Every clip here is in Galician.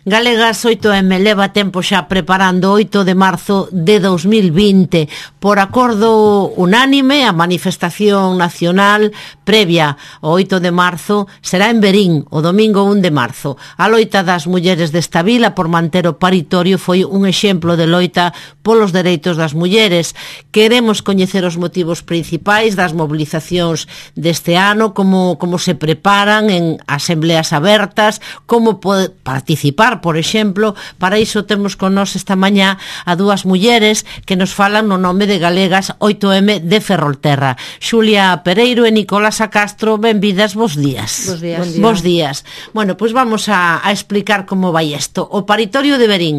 Galegas 8M leva tempo xa preparando 8 de marzo de 2020 por acordo unánime. A manifestación nacional previa ao 8 de marzo será en Verín o domingo 1 de marzo. A loita das mulleres desta vila por manter o paritorio foi un exemplo de loita polos dereitos das mulleres. Queremos coñecer os motivos principais das mobilizacións deste ano, como se preparan en asembleas abertas, como participar, por exemplo. Para iso temos con nós esta mañá a dúas mulleres que nos falan no nome de Galegas 8M de Ferrolterra. Xulia Pereiro e Nicolasa Castro, benvidas, bos días. Bos días. Bos días. Bueno, pois vamos a explicar como vai isto. O paritorio de Verín,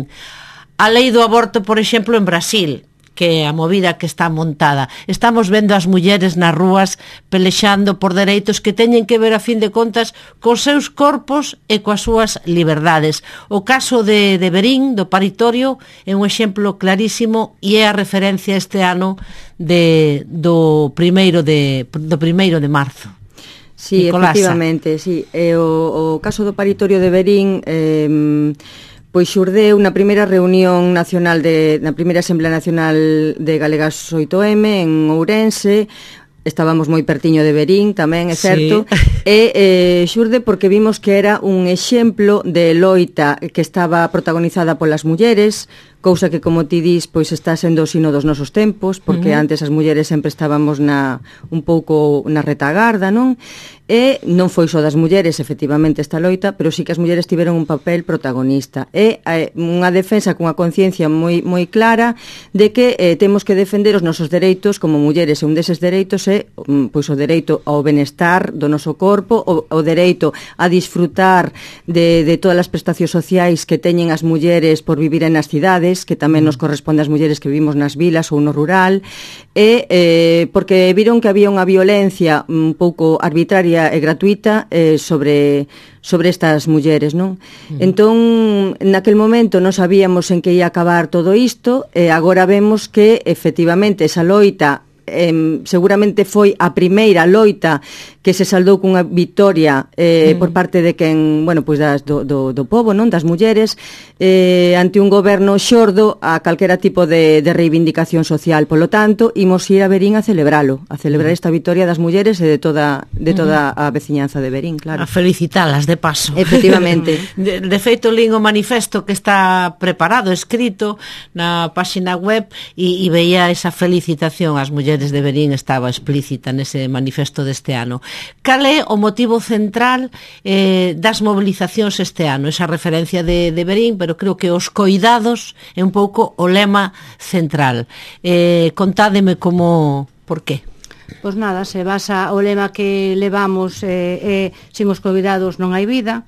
a lei do aborto, por exemplo, en Brasil, que a movida que está montada. Estamos vendo as mulleres nas rúas pelexando por dereitos que teñen que ver, a fin de contas, cos seus corpos e coas súas liberdades. O caso de Verín, do paritorio, é un exemplo clarísimo e é a referencia este ano do primeiro de marzo. Sí, Nicolasa. efectivamente, sí. O caso do paritorio de Verín pois xurdeu na primeira reunión nacional na primeira Asamblea Nacional de Galegas 8M en Ourense. Estábamos moi pertiño de Verín tamén, é certo. Sí. E xurde porque vimos que era un exemplo de loita que estaba protagonizada polas mulleres, cousa que, como ti dis, pois está sendo o sino dos nosos tempos, porque antes as mulleres sempre estábamos un pouco na retagarda, non? E non foi só das mulleres, efectivamente, esta loita, pero sí que as mulleres tiveron un papel protagonista. É unha defensa cunha conciencia moi clara de que temos que defender os nosos dereitos como mulleres, e un deses dereitos é pois o dereito ao benestar do noso corpo, o dereito a disfrutar de todas as prestacións sociais que teñen as mulleres por vivir nas cidades, que tamén nos corresponde ás mulleres que vivimos nas vilas ou no rural, e porque viron que había unha violencia un pouco arbitraria e gratuita sobre estas mulleres, non? Entón, naquel momento non sabíamos en que ia acabar todo isto, e agora vemos que, efectivamente, esa loita seguramente foi a primeira loita que se saldou cunha victoria por parte de quen, bueno, pois do pobo, non, das mulleres, ante un goberno xordo a calquera tipo de reivindicación social. Polo tanto, imos ir a Verín a celebrar esta victoria das mulleres e de toda a veciñanza de Verín, claro. A felicitalas de paso. Efectivamente. De feito, lín o manifesto que está preparado, escrito na páxina web, e veía esa felicitación ás mulleres de Verín, estaba explícita nese manifesto deste ano. Cal é o motivo central das mobilizacións este ano? Esa referencia de Verín, pero creo que os coidados é un pouco o lema central. Contádeme por qué. Pois nada, se basa o lema que levamos, sin os coidados non hai vida.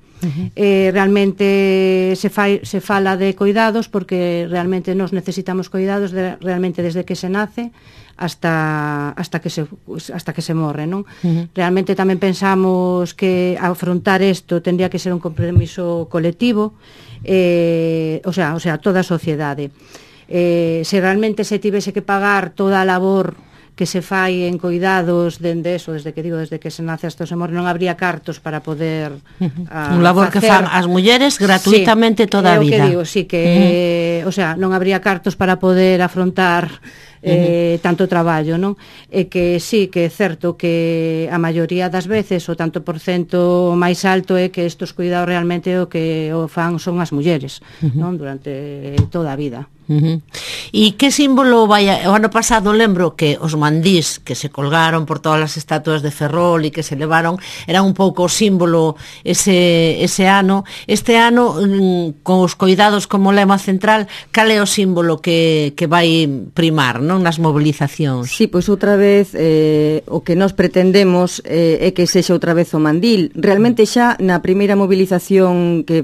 Realmente se fala de coidados porque realmente nos necesitamos coidados realmente desde que se nace hasta que se morre, non? Realmente tamén pensamos que afrontar isto tendría que ser un compromiso colectivo, o sea, toda a sociedade. Se realmente se tivese que pagar toda a labor que se fai en coidados desde que se nace hasta se morre, non habría cartos para poder un labor facer, que fan as mulleres gratuitamente toda a vida. O que digo, sí, que o sea, non habría cartos para poder afrontar tanto traballo, non? E que sí, que é certo que a maioría das veces o tanto por cento máis alto é que estos cuidados realmente o que o fan son as mulleres, non? Durante toda a vida. E que símbolo vai o ano pasado lembro que os mandís que se colgaron por todas as estatuas de Ferrol e que se levaron eran un pouco o símbolo ese ano. Este ano con os coidados como lema central, cal é o símbolo que vai primar, non, nas mobilizacións? Sí, pois outra vez o que nós pretendemos é que sexa outra vez o mandil. Realmente xa na primeira mobilización que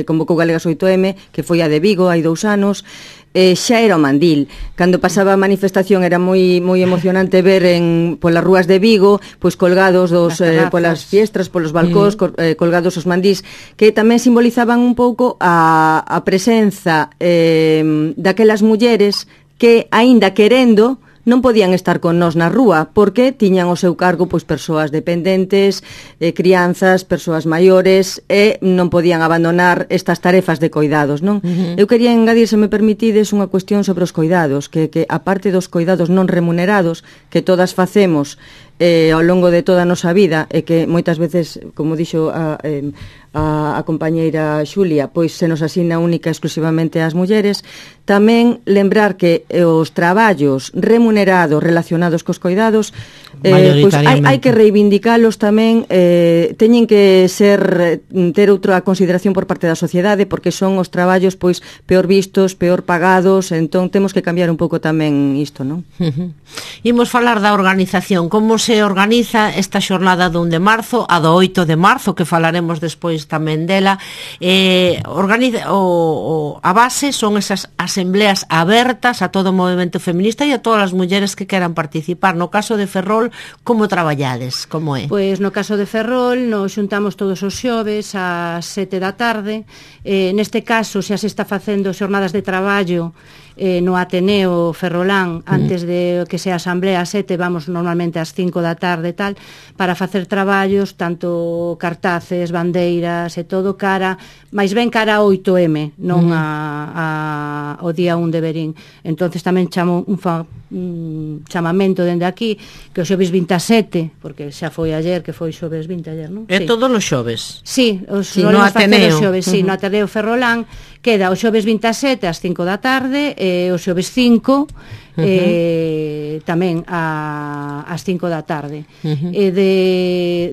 convocou Galegas 8M, que foi a de Vigo hai 2 anos, xa era o mandil. Cando pasaba a manifestación era moi emocionante ver polas rúas de Vigo, pois colgados polas fiestras, polos balcóns, colgados os mandís, que tamén simbolizaban un pouco a presenza daquelas mulleres que, aínda querendo, non podían estar con nós na rúa, porque tiñan o seu cargo pois persoas dependentes, crianzas, persoas maiores, e non podían abandonar estas tarefas de coidados, non? Eu quería engadir, se me permitides, unha cuestión sobre os coidados, que a parte dos coidados non remunerados, que todas facemos ao longo de toda a nosa vida, e que moitas veces, como dixo a compañeira Xulia, pois se nos asina única exclusivamente ás mulleres, tamén lembrar que os traballos remunerados relacionados cos coidados, pois hai que reivindicalos tamén, teñen que ter outra consideración por parte da sociedade, porque son os traballos pois peor vistos, peor pagados, entón temos que cambiar un pouco tamén isto, non? Imos falar da organización, como se organiza esta xornada do 1 de marzo, a do 8 de marzo, que falaremos despois tamén dela. A base son esas asembleas abertas a todo o movimento feminista e a todas as mulleres que queran participar. No caso de Ferrol, como traballades? Como é? Pois no caso de Ferrol nos xuntamos todos os xoves ás 7 da tarde. Neste caso xa se está facendo xornadas de traballo no Ateneo Ferrolán antes de que sea a asamblea ás 7, vamos normalmente ás 5 da tarde e tal, para facer traballos, tanto cartaces, bandeiras e todo cara, máis ben cara a 8M, non ao día 1 de Verín. Entonces tamén chamo un chamamento dende aquí, que o xoves 27, porque xa foi ayer, que foi xoves 20 ayer, non? É todos os xoves? Sí, no Ateneo. Sí, no Ateneo Ferrolán, queda o xoves 27 ás 5 da tarde, e o xoves 5 tamén ás 5 da tarde.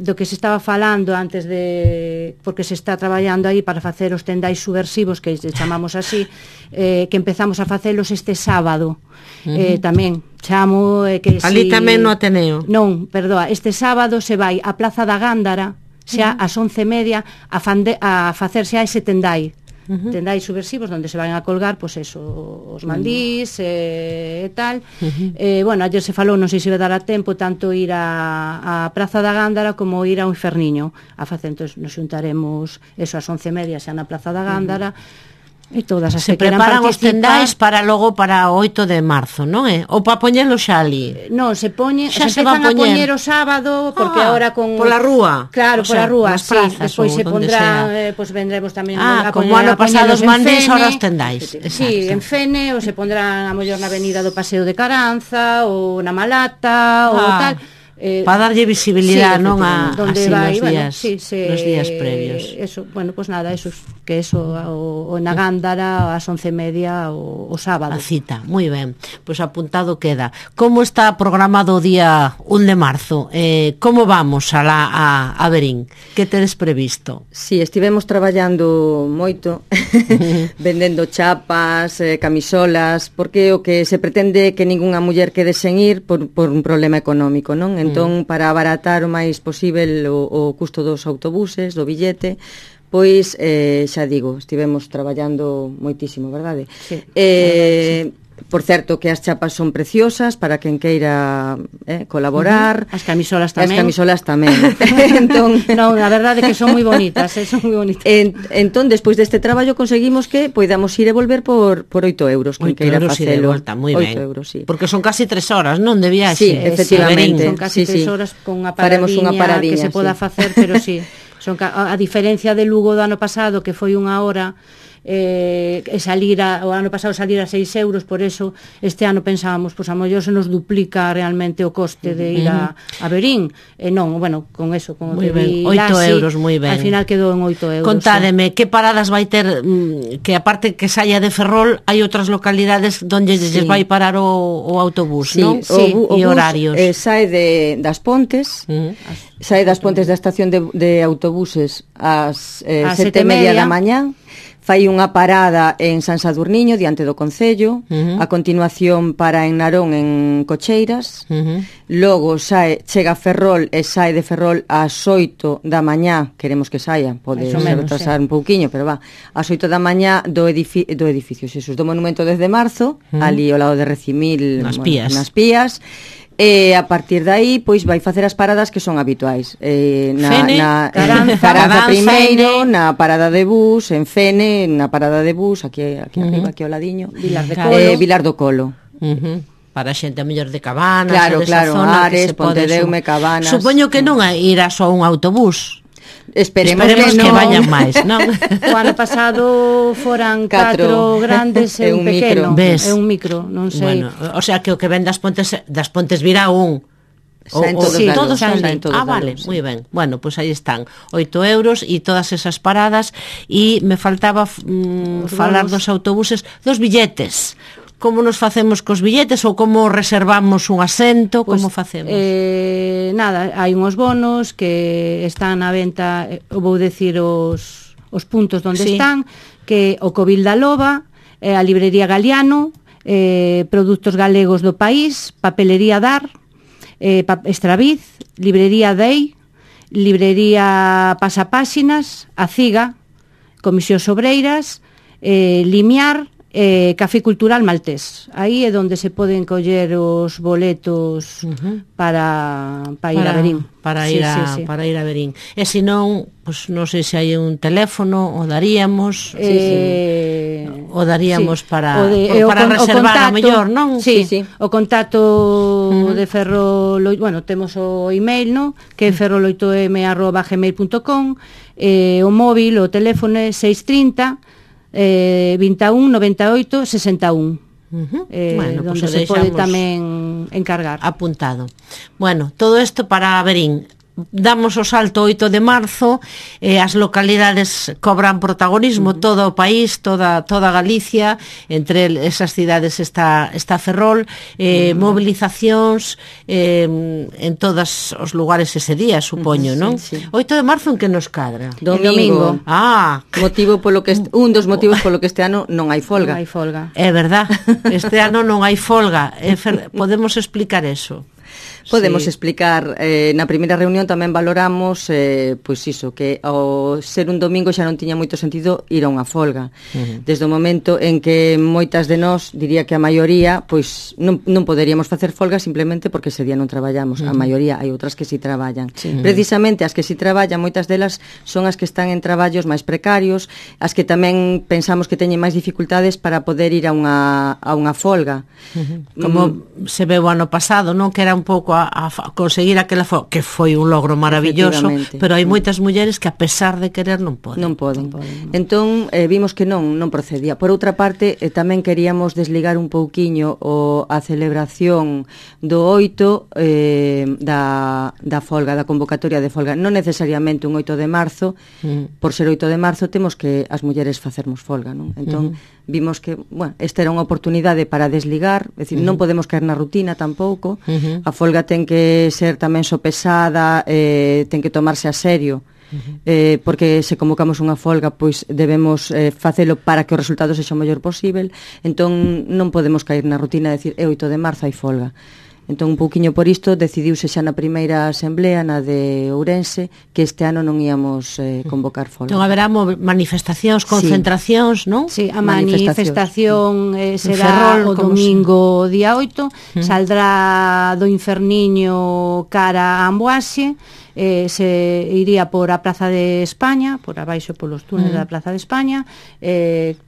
Do que se estaba falando antes de, porque se está traballando aí para facer os tendais subversivos, que chamamos así, que empezamos a facelos este sábado. Tamén chamo que ali tamén no Ateneo. Non, perdoa, este sábado se vai á Plaza da Gándara, xa ás 11:30, a facer xa ese tendai. Tendais subversivos onde se van a colgar pois eso, os mandís e tal. Bueno, ayer se falou, non sei se vai dar a tempo tanto ir a Praza da Gándara como ir ao Inferniño a facer. Entón nos xuntaremos eso ás 11:30 xa na Praza da Gándara. E todas as se que preparan os tendais para logo para o 8 de marzo, non é? Ou para poñelo xa ali? Non, se empezan a poñer o sábado, porque agora con pola rúa. Claro, pola rúa, sí, despois se pondrán, pois vendremos tamén a como ano pasado os mandís, ahora os tendais. Sí, en Fene, ou se pondrán a mellor na avenida do Paseo de Caranza, ou na Malata, ou tal. Para darlle visibilidade, non a donde vai, nos días previos. Eso, bueno, pues nada, eso que eso o na Gándara ás 11:30 o sábado. A cita, moi ben. Pois apuntado queda. Como está programado o día 1 de marzo? Como vamos a Verín? Que tedes previsto? Si, estivemos traballando moito vendendo chapas, camisolas, porque o que se pretende que ningunha muller quede sen ir por un problema económico, non? Entón, para abaratar o máis posible o custo dos autobuses, do billete, pois, xa digo, estivemos traballando moitísimo, verdade? Sí. Por certo, que as chapas son preciosas para quen queira colaborar. As camisolas tamén. As camisolas tamén. Entón, non, a verdade é que son moi bonitas, son moi bonitas. Entón, despois deste traballo conseguimos que poidamos ir e volver por 8 euros, quen queira facelo. 8 euros, sí. Porque son casi 3 horas, non, de viaxe? Sí, efectivamente. Son casi 3 horas con unha paradiña que se poda facer, pero sí. A diferencia de Lugo do ano pasado, que foi 1 hora, o ano pasado salir a 6 euros, por eso este ano pensábamos, pois a mellor se nos duplica realmente o coste de ir a Verín, non, bueno, con eso, con o que vi 8 euros, moi ben. Al final quedou en 8 euros. Contádeme, que paradas vai ter, que aparte que saia de Ferrol, hai outras localidades onde lles vai parar o autobús, non? Sí, e horarios. Sae das Pontes, sae das Pontes da estación de autobuses ás 7:30 da mañá, fai unha parada en San Sadurniño, diante do Concello, a continuación para en Narón, en Cocheiras, logo chega a Ferrol e sae de Ferrol ás 8 da mañá, queremos que saia, pode retrasar un pouquiño, pero va, ás 8 da mañá do edificio Xesús, do Monumento 10 de marzo, ali ao lado de Recimil, nas Pías, e a partir de aí pois vai facer as paradas que son habituais, na Caranza primeiro, na parada de bus en Fene, na parada de bus aquí arriba, aquí ao ladiño, Vilar do Colo. para a xente a mellor de Cabanas, claro, ou desa claro, zona, Ares, Pontedeume, Cabanas. Supoño que non irá só un autobús. Esperemos que vayan máis, non? O ano pasado foran 4 grandes e un pequeno, e un micro, non sei. Bueno, o sea que o que ven das Pontes virá un. Todos vale, moi ben. Bueno, pois aí están, 8 euros e todas esas paradas. E me faltaba falar dos autobuses, dos billetes. Como nos facemos cos billetes ou como reservamos un asento, como facemos? Nada, hai unhos bonos que están á venta, vou decir os puntos onde están, que o Covil da Loba, a Librería Galiano, Produtos Galegos do País, Papelería Dar, Estraviz, Librería Dei, Librería Pasapáxinas, A Ciga, Comisións Obreiras, Limiar, Café Cultural Maltés. Aí é onde se poden coller os boletos para ir a Verín. Para ir a Verín. E se non, pues, non sei se hai un teléfono o daríamos para reservar a mellor, non? Sí. O contacto de Ferro Loito, bueno, temos o email, no? Que é ferroloitom@gmail.com, o móvil, o teléfono é 630 21 98 61. Bueno, donde se pode tamén encargar. Apuntado. Bueno, todo isto para Verín. Damos o salto 8 de marzo, as localidades cobran protagonismo, todo o país, toda Galicia, entre esas cidades está Ferrol, movilizacións en todos os lugares ese día, supoño, non? 8 de marzo en que nos cadra? Domingo. Motivo polo que un dos motivos polo que este ano non hai folga. Non hai folga. É verdad, este ano non hai folga. Podemos explicar eso? Podemos explicar, na primeira reunión tamén valoramos pois iso, que ao ser un domingo xa non tiña moito sentido ir a unha folga. Desde o momento en que moitas de nós, diría que a maioría, pois non poderíamos facer folga simplemente porque ese día non traballamos. A maioría, hai outras que si traballan. Precisamente as que si traballan, moitas delas son as que están en traballos máis precarios, as que tamén pensamos que teñen máis dificultades para poder ir a unha folga. Como se veu o ano pasado, non? Que era un pouco a conseguir aquela folga, que foi un logro maravilloso, pero hai moitas mulleres que a pesar de querer non poden. Non poden. Entón, vimos que non procedía. Por outra parte, tamén queríamos desligar un pouquiño a celebración do 8 da folga, da convocatoria de folga. Non necesariamente un 8 de marzo, por ser 8 de marzo temos que as mulleres facermos folga, non? Entón, vimos que, bueno, esta era unha oportunidade para desligar, é dicir, non podemos caer na rutina tampouco. A folga ten que ser tamén sopesada, ten que tomarse a serio, porque se convocamos unha folga, pois debemos facelo para que o resultado sexa o mellor posible. Entón non podemos caer na rutina de decir, é 8 de marzo, hai folga. Entón, un pouquiño por isto, decidiuse xa na primeira asamblea, na de Ourense, que este ano non íamos convocar folga. Non haberá manifestacións, concentracións, non? Sí, a manifestación será o domingo día 8, saldrá do Inferniño cara a Amboaxe, se iría por a Plaza de España, por abaixo polos túneles da Plaza de España,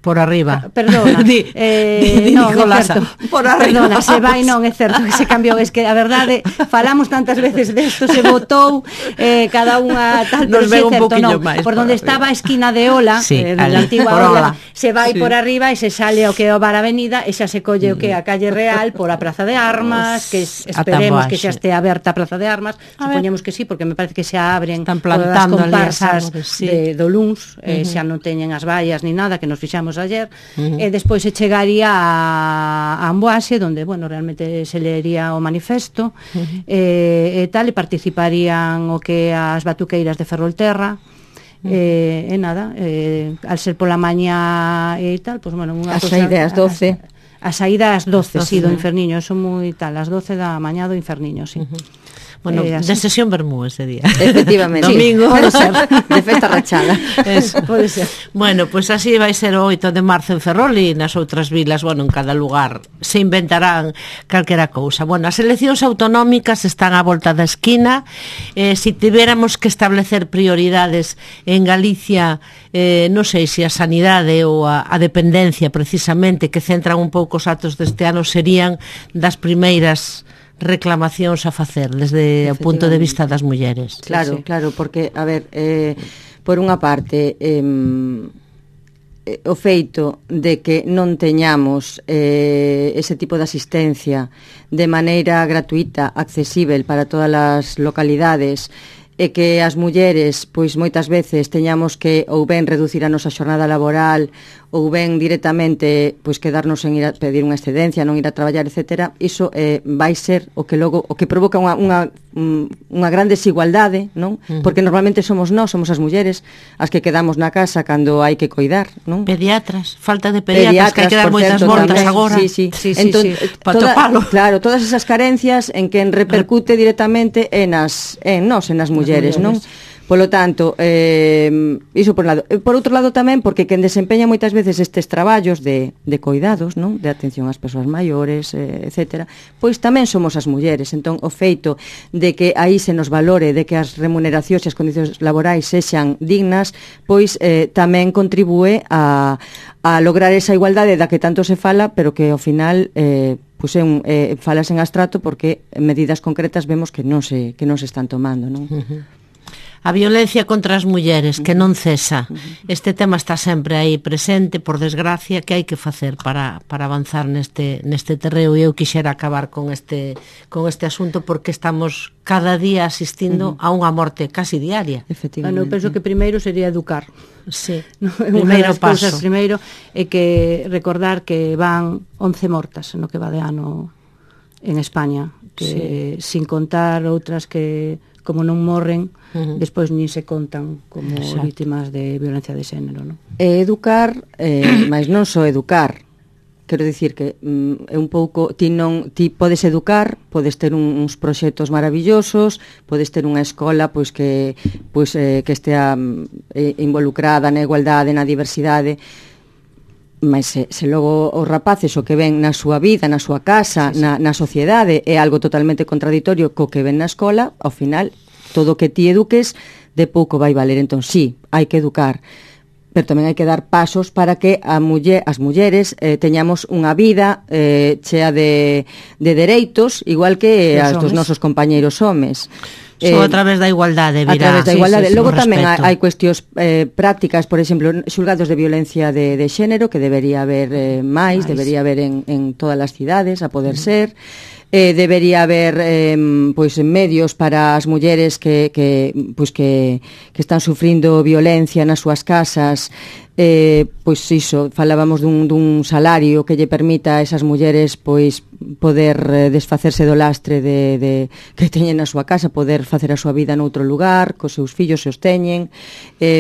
por arriba. Perdona. Non, é certo. Por arriba. Perdona, se vai, non, é certo que se cambiou, es que a verdade falamos tantas veces desto, se votou cada unha tal, pero é certo, non. Por onde estaba a esquina de Ola, da antigua Ola, se vai por arriba e se sale o que é o Bar Avenida e xa se colle o que é a Calle Real por a Praza de Armas, que esperemos que xa estea aberta a Praza de Armas, supoñemos que sí, porque me parece que xa abren as comparsas do Luns, xa non teñen as vallas ni nada, que nos fixamos ayer, e despois se chegaría a Amboaxe, donde, bueno, realmente se leería o manifesto, e tal, e participarían o que as batuqueiras de Ferrolterra, e nada, al ser pola mañá e tal, pues, bueno, a saída ás 12. A saída ás 12, sí, do Inferniño, eso moi tal, ás 12 da mañá do Inferniño, sí. Bueno, de sesión vermú ese día. Efectivamente. Domingo. Pode ser, de festa rachada. Eso. Pode ser. Bueno, pois así vai ser o 8 de marzo en Ferrol e nas outras vilas, bueno, en cada lugar se inventarán calquera cousa. Bueno, as eleccións autonómicas están á volta da esquina. Se tiveramos que establecer prioridades en Galicia, non sei se a sanidade ou a dependencia precisamente, que centran un pouco os actos deste ano, serían das primeiras reclamacións a facer desde o punto de vista das mulleres. Claro, sí, claro, porque, a ver, por unha parte, o feito de que non teñamos ese tipo de asistencia de maneira gratuita, accesível para todas as localidades, e que as mulleres, pois moitas veces teñamos que ou ben reducir a nosa xornada laboral ou ben directamente pois quedarnos en ir a pedir unha excedencia, non ir a traballar, etcétera, iso vai ser o que logo o que provoca unha gran desigualdade, non? Porque normalmente somos as mulleres as que quedamos na casa cando hai que coidar, non? Pediatras, falta de pediatras que hai que dar moitas voltas agora. Sí. Entón, claro, todas esas carencias en que repercute directamente en nas mulleres, non? Polo tanto, iso por un lado. Por outro lado tamén, porque quen desempeña moitas veces estes traballos de coidados, non? De atención ás persoas maiores, etcétera, pois tamén somos as mulleres. Entón, o feito de que aí se nos valore, de que as remuneracións e as condicións laborais sexan dignas, pois tamén contribúe a lograr esa igualdade da que tanto se fala, pero que ao final pois falas en abstracto, porque medidas concretas vemos que non se están tomando, non? A violencia contra as mulleres, que non cesa. Este tema está sempre aí presente, por desgracia, que hai que facer para avanzar neste terreo, e eu quixera acabar con este asunto, porque estamos cada día asistindo a unha morte casi diaria. Bueno, eu penso que primeiro sería educar. Sí, primeiro paso. Primeiro é que recordar que van 11 mortas no que va de ano en España, que sin contar outras que como non morren, despois nin se contan como vítimas de violencia de xénero, non? Educar, mas non só educar. Quero dicir que é un pouco, ti podes educar, podes ter uns proxectos maravillosos, podes ter unha escola pois que estea involucrada na igualdade, na diversidade, mas se logo os rapaces o que ven na súa vida, na súa casa, na sociedade, é algo totalmente contradictorio co que ven na escola, ao final, todo o que ti eduques, de pouco vai valer. Entón, sí, hai que educar, pero tamén hai que dar pasos para que as mulleres teñamos unha vida chea de dereitos, igual que as dos nosos compañeiros homes. Só a través da igualdade virá. A través da igualdade. Logo tamén hai cuestións prácticas, por exemplo, xulgados de violencia de xénero, que debería haber máis, debería haber en todas as cidades, a poder ser. Debería haber pois medios para as mulleres que están sufrindo violencia nas súas casas, pois iso, falábamos dun salario que lle permita a esas mulleres pois poder desfacerse do lastre que teñen na súa casa, poder facer a súa vida noutro lugar, cos seus fillos se os teñen.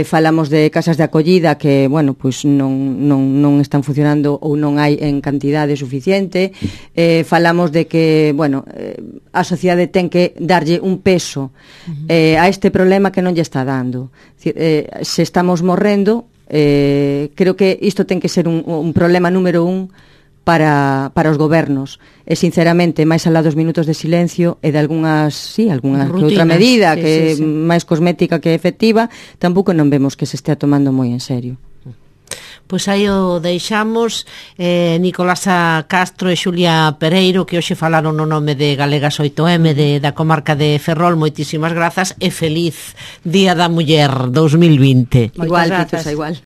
Falamos de casas de acollida que, bueno, pois non están funcionando ou non hai en cantidade suficiente. Falamos de que, bueno, a sociedade ten que darlle un peso a este problema que non lle está dando. Se estamos morrendo, creo que isto ten que ser un problema número 1 para os gobernos, e sinceramente máis alá dos minutos de silencio e de algunha outra medida que máis cosmética que efectiva, tampouco non vemos que se estea tomando moi en serio. Pois aí o deixamos. Nicolasa Castro e Xulia Pereiro, que hoxe falaron no nome de Galegas 8M da comarca de Ferrol, moitísimas grazas e feliz Día da Muller 2020. Igual, Pitusa, igual.